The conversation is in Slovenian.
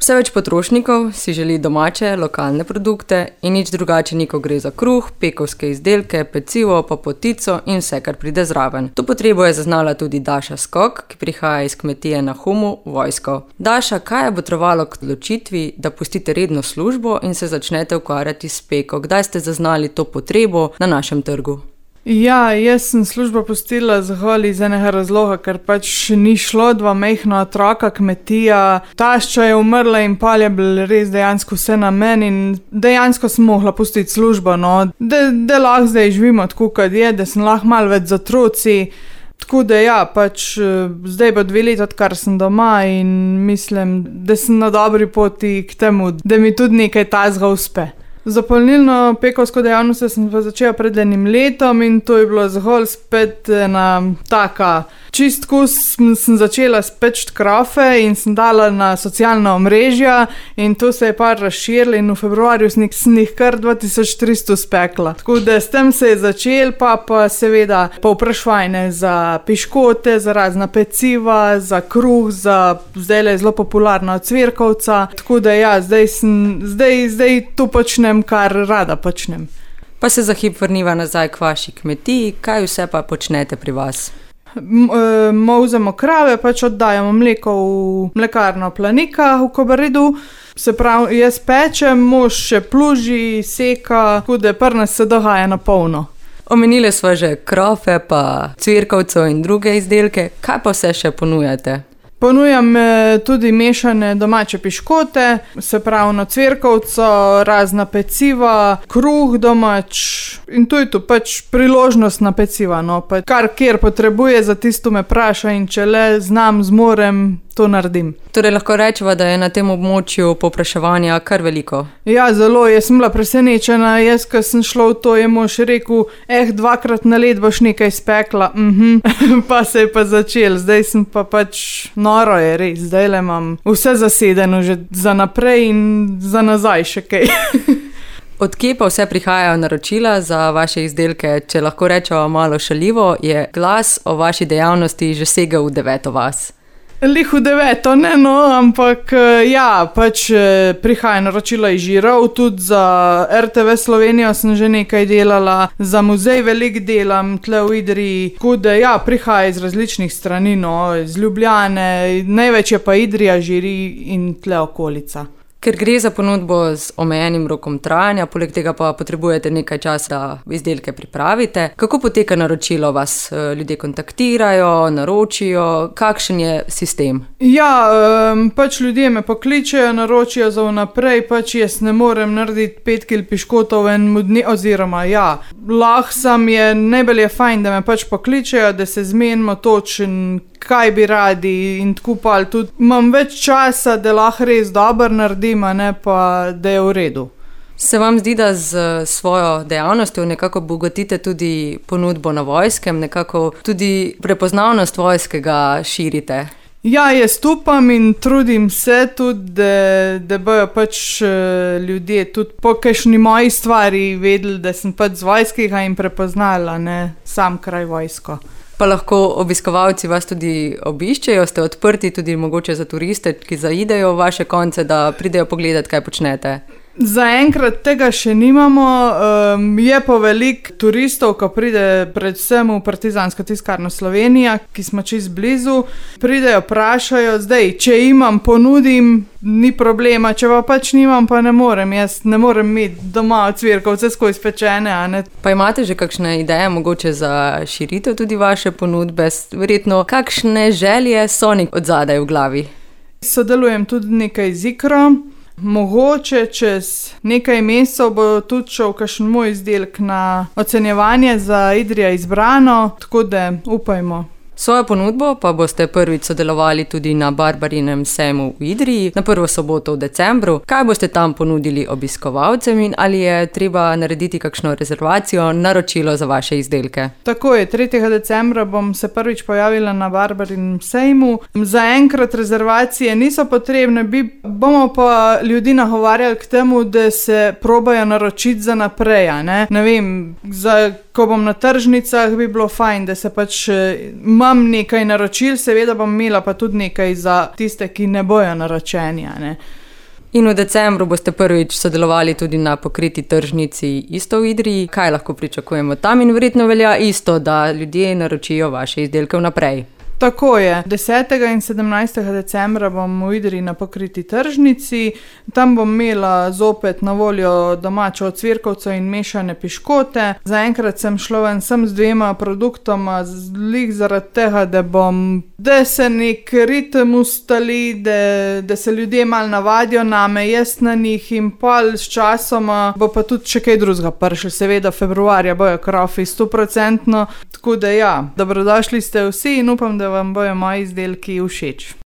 Vse več potrošnikov si želi domače, lokalne produkte in nič drugače ni, ko gre za kruh, pekovske izdelke, pecivo, pa potico in vse, kar pride zraven. To potrebo je zaznala tudi Daša Skok, ki prihaja iz kmetije na Humu, Vojsko. Daša, kaj je botrovalo k odločitvi, da pustite redno službo in se začnete ukvarjati s peko? Kdaj ste zaznali to potrebo na našem trgu? Ja, jaz sem službo pustila zgolj iz enega razloga, ker pač ni šlo, dva majhna otroka, kmetija, tašča je umrla in pol je bilo res dejansko vse na meni in dejansko sem mogla pustiti službo, no, da lahko zdaj živimo tako, kot je, da sem lahko malo več z otroci. Tako da ja, pač zdaj bo 2 leti, odkar sem doma in mislim, da sem na dobri poti k temu, da mi tudi nekaj tazga uspe. Za polnilno pekovsko dejavnost sem pa začela pred 1 letom in to je bilo zgolj spet ena taka čistko, sem začela speči krofe in sem dala na socialna omrežja in to se je par razširilo in v februarju sem jih kar 2300 spekla. Tako da s tem se je začel, pa seveda povpraševanje za piškote, za razna peciva, za kruh, zdaj je zelo popularna ocvirkovca, tako da ja, zdaj to počnem, kar rada počnem. Pa se za hip vrniva nazaj k vaši kmetiji, kaj vse pa počnete pri vas? Molzemo krave, pač oddajamo mleko v mlekarno Planika v Kobaridu, se pravi, jaz pečem, mož še pluži, seka, tako da pri nas se dogaja na polno. Omenili smo že krofe, pa cvirkovcev in druge izdelke, kaj pa vse še ponujate? Ponujam tudi mešane domače piškote, se pravi na cvirkovco, razna peciva, kruh domač in to je to, pač priložnost na peciva, no, pa kar kjer potrebuje, za tisto me praša in če le znam, zmorem, to naredim. Torej lahko rečeva, da je na tem območju povpraševanja kar veliko? Ja, zelo, jaz sem bila presenečena, jaz, ko sem šla v to, je mož rekel, 2-krat na let boš nekaj spekla, pa se je pa začel, zdaj sem pa pač noro je res, zdaj le imam vse zasedeno že za naprej in za nazaj še kaj. Od kje pa vse prihajajo naročila za vaše izdelke? Če lahko rečemo malo šaljivo, je glas o vaši dejavnosti že segel v 9. vas. Lih v 9, ne no, ampak ja, pač prihaja naročila iz Žirov, tudi za RTV Slovenijo sem že nekaj delala, za muzej veliko delam, tle v Idriji, tako da ja, prihaja iz različnih strani, no, iz Ljubljane, največ je pa Idrija, Žiri in tle okolica. Ker gre za ponudbo z omejenim rokom trajanja, poleg tega pa potrebujete nekaj časa, da izdelke pripravite. Kako poteka naročilo? Vas ljudje kontaktirajo, naročijo? Kakšen je sistem? Ja, pač ljudje me pokličejo, naročijo za vnaprej, pač jaz ne morem narediti 5 kil piškotov v enem dnevu, oziroma ja, lahko sem je, najbolj je fajn, da me pač pokličejo, da se zmenimo točen, kaj bi radi in tako pa tudi imam več časa, da lahko res dobro naredim, a ne pa, da je v redu. Se vam zdi, da z svojo dejavnostjo nekako bogatite tudi ponudbo na Vojskem, nekako tudi prepoznavnost Vojskega širite? Ja, jaz upam in trudim se tudi, da bojo pač ljudje tudi po kakšni moji stvari vedeli, da sem pač z Vojskega in prepoznala, ne, sam kraj Vojsko. Pa lahko obiskovalci vas tudi obiščejo, ste odprti tudi mogoče za turiste, ki zaidejo v vaše konce, da pridejo pogledati, kaj počnete? Zaenkrat tega še nimamo, je pa veliko turistov, ko pride predvsem v Partizansko tiskarno Slovenija, ki smo čisto blizu, pridejo, vprašajo, zdaj, če imam, ponudim, ni problema, če pa pač nimam, pa ne morem, jaz ne morem imeti doma cvirkovce skozi pečene, a ne. Pa imate že kakšne ideje mogoče za širitev tudi vaše ponudbe, verjetno kakšne želje so od zadaj v glavi? Sodelujem tudi nekaj z Ikro. Mogoče čez nekaj mesecev bo tudi šel kakšen moj izdelek na ocenjevanje za Idrija izbrano, tako da upajmo. Svojo ponudbo pa boste prvič sodelovali tudi na Barbarinem sejmu v Idriji na 1. soboto v decembru. Kaj boste tam ponudili obiskovalcem in ali je treba narediti kakšno rezervacijo, naročilo za vaše izdelke? Tako je, 3. decembra bom se prvič pojavila na Barbarinem sejmu. Zaenkrat rezervacije niso potrebne, bomo pa ljudi nagovarjali k temu, da se probajo naročiti za naprej, ne? Ne vem, ko bom na tržnicah, bi bilo fajn, da se pač imam nekaj naročil, seveda bom imela pa tudi nekaj za tiste, ki ne bojo naročeni, ne. In v decembru boste prvič sodelovali tudi na pokriti tržnici isto v Idriji. Kaj lahko pričakujemo tam in verjetno velja isto, da ljudje naročijo vaše izdelke vnaprej? Tako je. 10. in 17. decembra bom v Idriji na pokriti tržnici. Tam bom imela zopet na voljo domačo ocvirkovco in mešane piškote. Zaenkrat sem šla ven sem z 2 produktoma, glih zaradi tega, da se nek ritem ustali, da se ljudje malo navadijo name, jaz na njih in pol s časoma bo pa tudi še kaj drugega prišlo. Seveda februarja bojo krofi 100%, tako da ja, dobrodošli ste vsi in upam, da vam bojo moji izdelki všeč.